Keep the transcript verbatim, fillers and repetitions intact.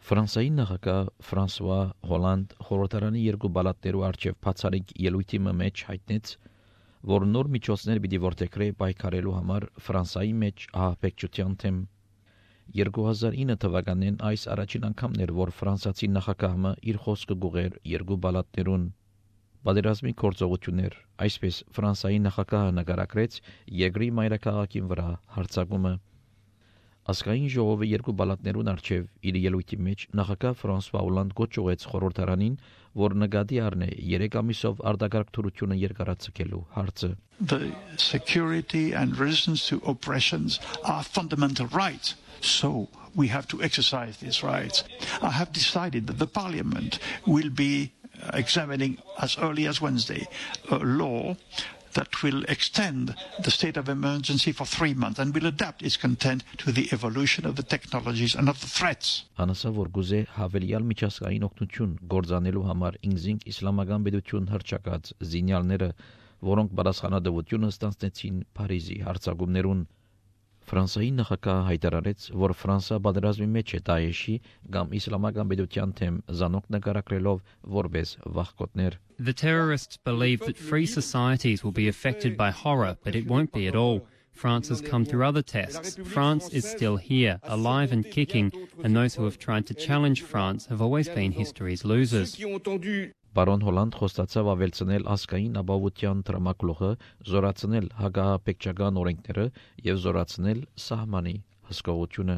Ֆրանսիայի նախագահ Ֆրանսուଆ Հոլանդ խորհրդարանի երկու բալատներու արչև բացառիկ ելույթի մեջ հայտնեց, որ նոր միջոցներ պիտի որդեգրե պայքարելու համար Ֆրանսիայի մեջ ահաբեկչության թեմ։ երկու հազար ինը թվականին այս առաջին անգամն էր, որ ֆրանսիացի նախագահը իր խոսքը գուղեր երկու բալատներուն։ Պատերազմի գործողություններ, այսպես Ֆրանսիայի նախագահը նկարագրեց երկրի մայրաքաղաքին վրա հարձակումը։ Ազգային ժողովը երկու բալատներուն արչև իր ելույթի մեջ նախագահ Ֆրանսուଆ Հոլանդ գոչուեց խորհրդարանին, որ նկատի առնե երեք ամիսով արտակարգ թուրությունը երկարացկելու հարցը։ The security and resistance to oppressions are fundamental rights, so we have to exercise these rights. I have decided that the Parliament will be examining as early as Wednesday a law that will extend the state of emergency for three months and will adapt its content to the evolution of the technologies and of the threats. Անասա որ գուզե հավելյալ միջազգային օգնություն գործանելու համար ինքնին իսլամական պետություն հրճակած զինյալները, որոնք պատասխանատվությունը ստանձնեցին Փարիզի հարձակումներուն։ Ֆրանսիայի նախագահը հայտարարեց, որ Ֆրանսիա պատերազմի մեջ է Դաեշի կամ իսլամական պետության թեմ զանոք նկարագրելով որպես վախկոտներ։ The terrorists believe that free societies will be affected by horror, but it won't be at all. France has come through other tests. France is still here, alive and kicking, and those who have tried to challenge France have always been history's losers. Բարոն Հոլանդ խոստացավ ավելցնել ազգային ապահովության տրամակլուխը, զորացնել հակահաբեկչական օրենքները եւ զորացնել սահմանի հսկողությունը։